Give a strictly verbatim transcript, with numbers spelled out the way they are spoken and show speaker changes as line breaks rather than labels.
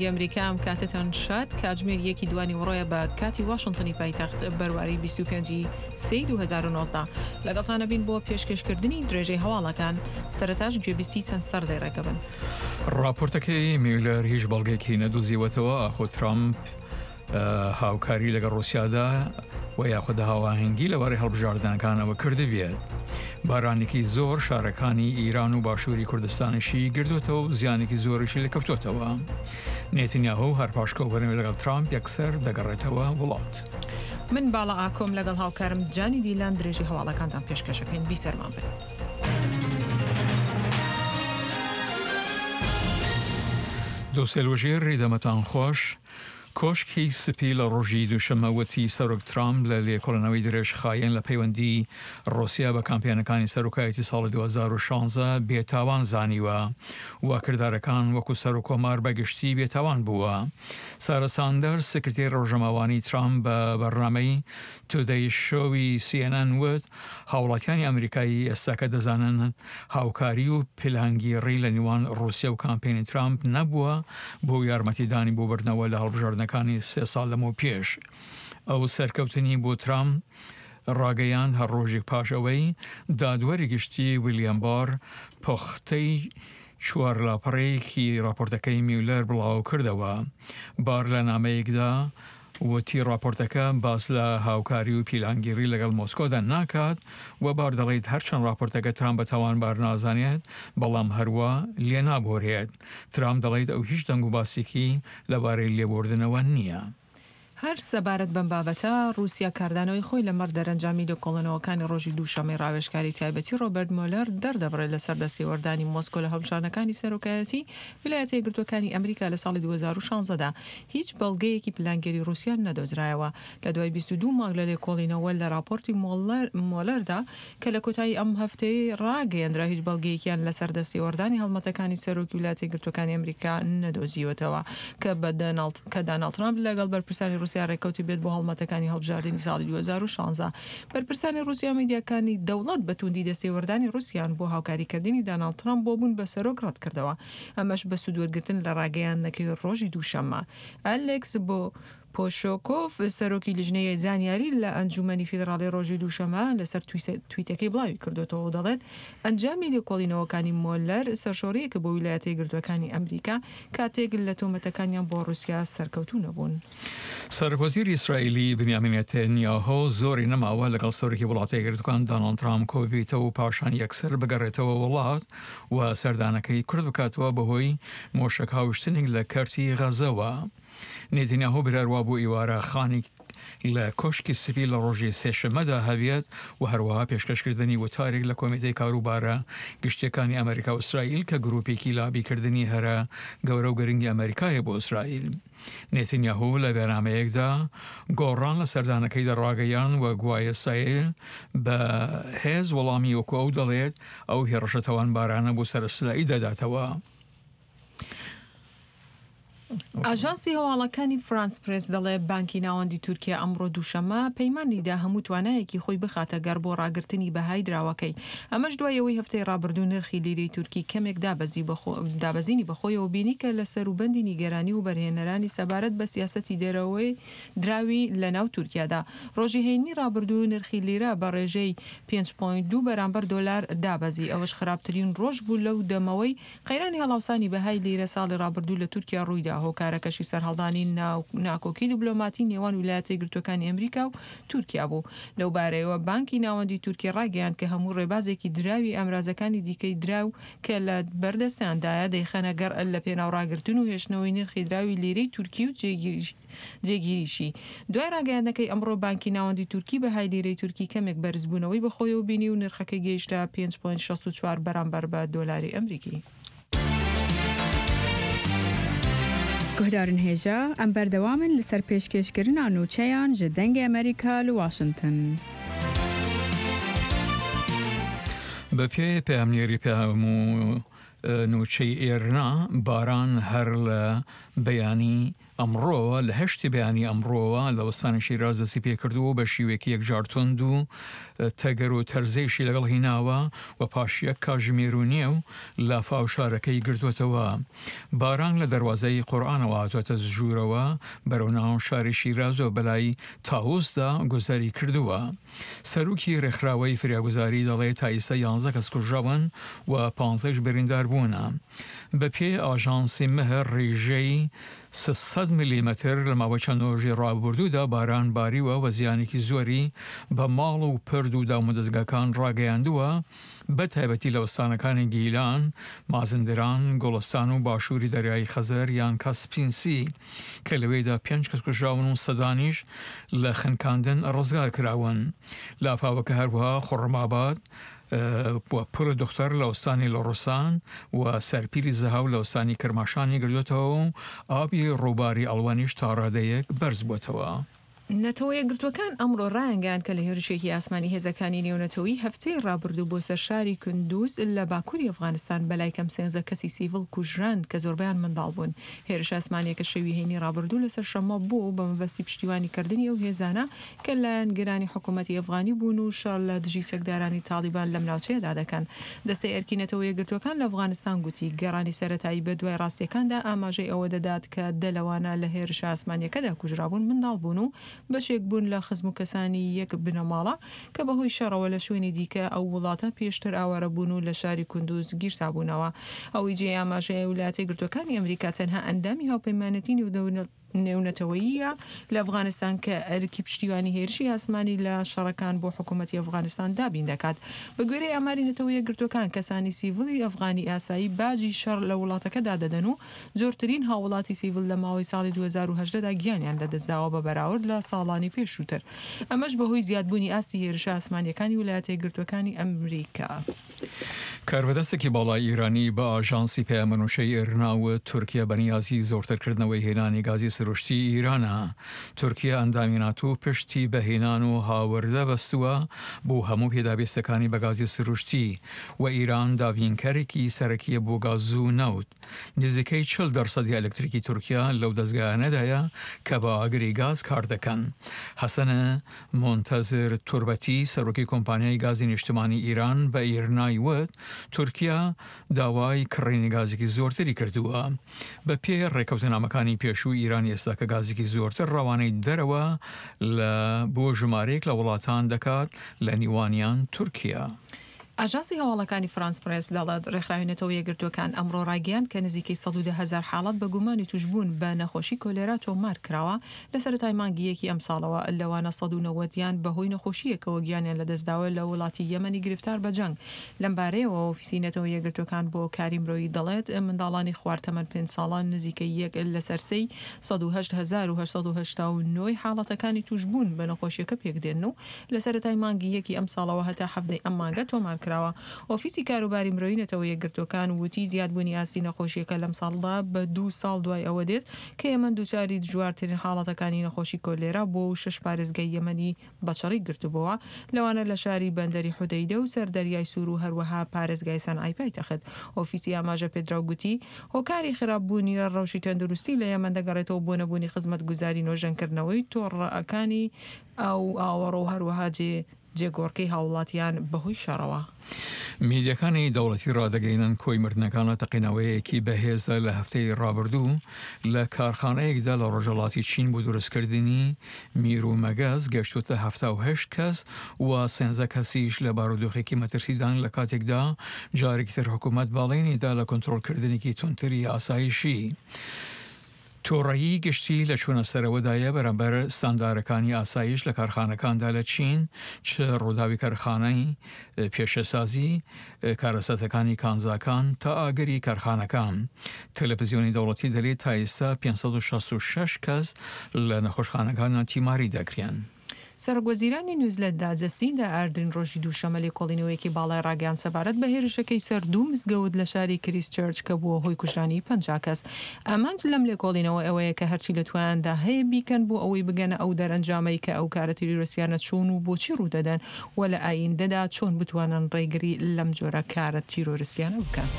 ئەمریکا ئەم کاتەتان شاد. کاتژمێر یەکی دوانی وڕۆیە بە کاتی واشنتنی پایتەخت، بەرواری بیست و پێنج سێ دوو هەزار و نۆزدە. لەگەڵتانە بین بۆ پێشکەشکردنی درێژەی هەواڵەکان. سەرەتاش گوێبیستی چەند سەردێڕێکە بن.
راپۆرتەکەی میولەر هیچ بەڵگەیەکی نەدۆزیوەتەوە ئاخۆ ترامپ هاوکاری لەگەڵ ڕوسیادا و یاخود هاواهەنگی لەبارەی هەڵبژاردنەکانەوە کردبێت. بارانێکی زۆر شارەکانی ئیران و باشووری کوردستانیشی گردوتەوە و زیانێکی زۆریشی لەکەوتوتەوە. نێتنیاهۆ هەر پاش کۆبوونەوەی لەگەڵ ترامپ یەکسەر دەگەڕێتەوە وڵات.
من باڵا ئاکۆم لەگەڵ هاوکارم جانی دیلان درێژی هەواڵەکانتان پێشکەشەکەین. بیسەرمان بن.
دۆسێلوژێر ڕێدەمەتان خۆش. کۆشکی سپی لە ڕۆژی دووشەممە وتی سەرۆک ترامپ لە لێکۆڵینەوەی درێژخایەن لە پەیوەندی ڕوسیا بە کامپیانەکانی سەرۆکایەتی ساڵی دوو هەزار و شازدە بێتاوان زانیوە و کردارەکان وەکو سەرۆکۆمار بەگشتی بێتاوان بووە. سارە ساندەرز سکرتێری ڕۆژنامەوانی ترامپ بە بەرنامەی تودەی شۆوی سی ئێن ئێن وت هاوڵاتیانی ئەمریکایی ئێستاکە دەزانن هاوکاری و پلانگیڕی لە نێوان ڕوسیا و کامپینی ترامپ نەبووە بۆ یارمەتیدانی بۆ بردنەوە لە هەڵبژاردنەکانی سێ ساڵ لەمەو پێش. ئەو سەرکەوتنی بۆ ترامپ ڕاگەیاند هەر ڕۆژێک پاش ئەوەی دادوەری گشتی ویلیام بار پوختەی چوار لاپەڕەیەکی راپۆرتەکەی میولەر بڵاو کردەوە. بار لە نامەیەکدا وتی راپۆرتەکە باس لە هاوکاری و پیلانگیری لەگەڵ مۆسکۆدا ناکات و بار دەڵێت هەرچەند راپۆرتەکە ترامپ بە تاوانبار نازانێت بەڵام هەروە لێ نابۆرێت. ترامپ دەڵێت ئەو هیچ دەنگ و باسێکی لەبارەی لێبوردنەوە نییە.
هەر سەبارەت بەم بابەتە، رووسیا کاردانەوەی خۆی لەمەڕ دەرەنجامی لێکۆڵینەوەکانی ڕۆژی دووشەممەی ڕاوێژکاری تایبەتی ڕۆبەرت مۆلەر دەردەبڕێت لەسەر دەستێوەردانی مۆسکۆ لە هەڵبژاردنەکانی سەرۆکایەتی ویلایەتە یەکگرتووەکانی ئەمریکا لە ساڵی دوو هەزار و شازدە دا. هیچ بەڵگەیەکی پلانگێری رووسیا نەدۆزرایەوە. لە دوای بیست و دوو مانگ لە لێکۆڵینەوە لە راپۆرتی مۆلەردا کە لە کۆتایی ئەم هەفتەیە ڕاگەیەندرا، هیچ بەڵگەیەکیان لەسەر دەستێوەردانی هەڵمەتەکانی سەرۆکی ویلایەتە یەکگرتووەکانی ئەمریکا نەدۆزیوەتەوە کە بە داناڵد ترامپ لەگەڵ بەرپرسانی رووسیا ڕێککەوتی بێت بۆ هەڵمەتەکانی هەڵبژاردنی ساڵی دوو هەزار و شازدە. بەرپرسانی رووسیا و میدیاکانی دەوڵەت بە توندی دەستێوەردانی رووسیان بۆ هاوکاریکردنی داناڵد ترامپ بۆ بوون بە سەرۆک ڕەت کردەوە، ئەمەش بە سوودوەرگرتن لە ڕاگەیاندنەکەی ڕۆژی دووشەممە. ئەلێکس بۆ پۆشۆکۆف سەرۆکی لیژنەی زانیاری لە ئەنجومەنی فیدراڵی ڕۆژی دووشەممە لەسەر تویتەکەی بڵاوی کردوێتەوە و دەڵێت ئەنجامی لێکۆڵینەوەکانی مۆلەر سەرشۆڕیەکە بۆ ویلایەتە یەکگرتووەکانی ئەمریکا کاتێک لە تۆمەتەکانیان بۆ رووسیا سەرکەوتوو نەبوون.
سەرۆک وەزیری ئیسرائیلی بنیامین نێتەنیاهۆ زۆری نەماوە لەگەڵ سەرۆکی وڵاتە یەکگرتووەکان داناڵد ترامپ کۆببیتەوە و پاشان یەکسەر بگەڕێتەوە وڵات و سەردانەکەی کورت بکاتەوە بەهۆی مۆشەک هاوشتنێک لە کەرتی غەزەوە. نێتەنیاهۆ براروا بۆ ئیوارە خانی لە کۆشکی سپی لە ڕۆژی سێشەممەدا هەبێت و هەروەها پێشکەشکردنی وتارێک لە کۆمیتەی کاروبارە گشتیەکانی ئەمریکا و ئیسرائیل کە گروپێکی لابیکردنی هەرە گەورە و گرنگی ئەمریکایە بۆ ئیسرائیل. نێتەنیاهۆ لە بەرنامەیەکدا گۆڕان لە سەردانەکەیدا ڕاگەیان و گوایە ئیسرائیل بە هێز وەڵامی وەکو ئەو دەڵێت ئەو هێڕشە تاوانبارانە بۆ سەر ئیسرائیل دەداتەوە.
ئاژانسی هەواڵەکانی فرانس پرێس دەڵێ بانکی ناوەندی تورکیا ئەمڕۆ دووشەممە پەیمانیدا هەموو توانایەکی خۆی بخاتە گەڕ بۆ ڕاگرتنی بەهای دراوەکەی. ئەمەش دوای ئەوەی هەفتەی ڕابردوو نرخی لیرەی تورکی کەمێک دابەزینی بەخۆیەوە بینی کە لە سەروبەندی نیگەرانی و بەرهێنەرانی سەبارەت بە سیاسەتی دەرەوەی دراوی لە ناو تورکیادا. ڕۆژی هەینی ڕابردوو نرخی لیرە بە ڕێژەی پێنج پۆینت دوو بەرامبەر دۆلار دابەزی. ئەوەش خراپترین ڕۆژ بوو لەو دەمەوەی قەیرانی هەڵاوسانی بەهای لیرە ساڵی ڕابردوو لە تورکیا ڕوویدا. هۆکارەکەشی سەرهەڵدانی ناکۆکی دیبلۆماتی نێوان ویلایەتە یەکگرتووەکانی ئەمریکا و تورکیا بوو. لەو بارەیەوە بانکی ناوەندی تورکی ڕاگەیاند کە هەموو ڕێبازێکی دراوی ئامرازەکانی دیکەی دراو کە لە بەردەستیاندایە دەیخەنە گەڕ لە پێناو ڕاگرتن و هێشتنەوەی نرخی دراوی لیرەی تورکی و جێگیریشی. دوای ڕاگەیاندنەکەی ئەمڕۆ بانکی ناوەندی تورکی بەهای لیرەی تورکی کەمێک بەرزبوونەوەی بەخۆیەوە بینی و نرخەکەی گەیشتە پێنج پۆینت شەست و چوار بەرامبەر بە دۆلاری ئەمریکی.
گوهدارن هێژا ئەم بەردەوامن لەسەر پێشکێشکردنا نوچەیان ji دەنگی ئەمریکا لە واشنگتن.
بە پێی پەیامنێری پەیام و نوچەی ئێرنا باران هەر لە بەیانی ئەمڕۆوە لە هەشتی بەیانی ئەمڕۆوە لە ئوستانی شیراز دەستی پێکردووە و بە شیوەیەکی یەکجار توند و تەگەر و تەرزەیشی لەگەڵ هیناوە و پاش یەک کاژمێر و نێو لافاو شارەکەی گرتووەتەوە. باران لە دەروازەی قورئانەوە هاتووەتە ژوورەوە بەرەو ناو شاری شیراز و بەلای تاووسدا گوزەری کردووە. سەرۆکی رێکخراوەی فریاگوزاری دەڵێ تا ئیستا یانزە کەس کوژراون و پانزەیش بریندار بوونە. بەپێی ئاژانسی مهر ڕیژەی سێ سەد ملیمەتر لە ماوەی چەند ڕۆژی ڕابوردوودا باران باریوە و زیانێکی زۆری بە ماڵ و پرد و دامودەزگاکان ڕاگەیاندووە، بە تایبەتی لە ئوستانەکانی گیلان، مازندران، گوڵستان و باشووری دەریای خەزەر یان کاسپینسی کە لەوێدا پێنج کەس کوژراون و سەدانیش لە خنکاندن ڕزگار کراون. لافاوەکە هەروەها خوڕماباد و پل دختر لە ئوستانی لوڕستان و سەرپیلی زەهاو لە ئوستانی کرماشانی گردووەتەوە و ئاوی ڕووباری ئەڵوەنیش تا ڕادەیەک بەرز بووەتەوە.
نەتەوە یەکگرتووەکان ئەمڕۆ ڕایانگەیاند کە لە هێرشێکی ئاسمانی هێزەکانی نێونەتەوەیی هەفتەی ڕابردوو بۆ سەر شاری کندوز لە باکووری ئەفغانستان بەلای کەم سێنزە کەسی سیڤڵ کوژران کە زۆربەیان منداڵ بوون. هێرشە ئاسمانییەکە شەوی هەینی ڕابردوو لەسەر شەممە بوو بە مەبەستی پشتیوانی کردنی ئەو هێزانە کە لایەنگرانی حکوومەتی ئەفغانی بوون و شەڕ لە دژی چەکدارانی تاڵیبان لەم ناوچەیەدا دەکەن. دەستەی ئەرکی نەتەوە یەکگرتووەکان لە ئەفغانستان گوتی گەڕانی سەرەتایی بە دوای ڕاستییەکاندا ئاماژەی ئەوە دەدات کە دە لەوانە لە هێرشە ئاسمانییەکەدا کوژرابوون منداڵ بوون و بەشێک بوون لە خزم و کەسانی یەک بنەماڵە کە بەهۆی شەڕەوە لە شوێنی دیکە ئەو وڵاتە پێشتر ئاوارە بوون و لە شاری کوندوز گیرسابوونەوە. ئەوەی جێی ئاماژەیە ولایەتە یەکگرتووەکانی ئەمریکا تەنها ئەندامی هاوپەیمانێتی نێونەتەوەییە لە ئەفغانستان کە ئەرکی پشتیوانی هێرشی ئاسمانی لە شەڕەکان بۆ حکوومەتی ئەفغانستان دابین دەکات. بە گوێرەی ئاماری نەتەوە یەکگرتووەکان کەسانی سیڤڵی ئەفغانی ئاسایی باجی شەڕ لە وڵاتەکەدا دەدەن و زۆرترین هاووڵاتی سیڤڵ لە ماوەی ساڵی دوو هەزار و هەژدە دا گیانیان لەدەستداوە بە بەراورد لە ساڵانی پێشووتر، ئەمەش بەهۆی زیادبوونی ئاستی هێرشە ئاسمانییەکانی ولایەتە یەکگرتووەکانی ئەمریکا.
کاربەدەستێکی باڵای ئیرانی بە ئاژانسی پەیامەنووچەی ئیرنا وت، تورکیا بەنیازی زۆرترکردنەوەی هێنانی گازی سروشتی ئیرانە. تورکیا ئەندامی ناتۆ پشتی بە هێنان و هاوردە بەستووە بۆ هەموو پێداویستەکانی بە گازی سروشتی و ئیران دابینکەرێکی سەرەکییە بۆ گاز و نەوت. نزیکەی چل دەرسەدی ئەلکتریکی تورکیا لەو دەزگایانەدایە کە بە ئاگری گاز کار دەکەن. حەسەن مونتەزر توربەتی، سەرۆکی کۆمپانیای گازی نیشتمانی ئیران بە ئیرنای وت، تورکیا داوای کڕینی گازێکی زۆرتری کردووە. بە پێی ڕێکەوتنامەکانی پێشوو ئیران ئێستا کە گازێکی زۆرتر ڕەوانەی دەرەوە لە بۆ ژمارەیەک لە وڵاتان دەکات لە نیوانیان تورکیا.
ئاژانسی هەواڵەکانی فرانس پرێس دەڵێت، ڕێکخراوی نەتەوە یەکگرتووەکان ئەمڕۆ ڕایگەیاند کە نزیکەی سەد و دە هەزار حاڵەت بە گومانی تووشبوون بە نەخۆشی کۆلێرا تۆمار کراوە لە سەرەتای مانگی یەکی ئەمساڵەوە، لەوانە سەد و نەوەد یان بەهۆی نەخۆشییەکەوە گیانیان لەدەستداوە لە وڵاتی یەمەنی گرفتار بە جەنگ. لەمبارەیەوە ئۆفیسی نەتەوە یەکگرتووەکان بۆ کاری مرۆیی دەڵێت، منداڵانی خوار تەمەن پێنج ساڵان نزیکەی یەک لەسەر سێی سەد و هەشت هەزار و هەشت سەد و هەشتا و نۆ ی حاڵەتەکانی تووشبوون بە نەخۆشییەکە پێکدێن و لە سەرەتای مانگی یەکی ئەمساڵەوە هەتا حەڤدە ی ئەم مانگە تۆمار کراوە. ئۆفیسی کاروباری مرۆیی نەتەوە یەکگرتووەکان وتی زیادبوونی ئاستی نەخۆشییەکە لەمساڵدا بە دوو ساڵ دوای ئەوە دێت کە یەمەن دووچاری دژوارترین حاڵەتەکانی نەخۆشی کۆلێرا بووە و شەش پارێزگای یەمەنی بە چڕی گرتبووە لەوانە لە شاری بەندەری حودەیدە و سەر دەریای سوور و هەروەها پارێزگای سەنعای پایتەخت. ئۆفیسی ئاماژە پێدراو گوتی هۆکاری خراپبوونی ڕەوشی تەندروستی لە یەمەن دەگەڕێتەوە بۆ نەبوونی خزمەتگوزاری نۆژەنکردنەوەی تۆڕەکانی ئاو و ئاوەڕۆ و هەروەها جێ جێگۆڕکێی هاووڵاتیان بەهۆی شەڕەوە.
میدیاکانی دەوڵەتی ڕادەگەینن کۆی مردنەکان لە تەقینەوەیەکی بەهێزدا لە هەفتەی ڕابردوو لە کارخانەیەکدا لە ڕۆژهەڵاتی چین بۆ دروستکردنی میر و مەگەز گەشتووەتە حەفتا و هەشت کەس و سێنزە کەسیش لە بارودۆخێکی مەترسیدان لە کاتێکدا جارێکی تر حکوومەت بەڵێنی دا لە کۆنترۆڵکردنێکی توندتری ئاسایشی. توڕەیی گشتی لە چوونە سەرەوەدایە بەرامبەر ستاندارەکانی ئاسایش لە کارخانەکاندا لە چین، چ ڕووداوی کارخانەی پیشەسازی، کارەساتەکانی کانزاکان تا ئاگری کارخانەکان. تەلەفزیۆنی دەوڵەتی دەلێت تا ئێستا پێنج سەد و شەست و شەش کەس لە نەخۆشخانەکاندا تیماری دەکرێن.
سەرۆکوەزیرانی نیوزلەندا جەسیندا ئاردرن ڕۆژی دووشەممە لێکۆڵینەوەیەکی باڵای ڕاگەیاند سەبارەت بە هێرشەکەی سەر دوو مزگەوت لە شاری کریستچێرچ کە بووە هۆی کوژرانی پەنجا کەس. ئامانج لەم لێکۆڵینەوە ئەوەیە کە هەرچی لە توانایاندا هەیە بیکەن بۆ ئەوەی بگەنە ئەو دەرئەنجامەی کە ئەو کارە تیرۆریستیانە چۆن و بۆچی ڕوودەدەن و لە ئایندەدا چۆن بتوانن ڕێگری لەم جۆرە کارە تیرۆریستیانە بکەن.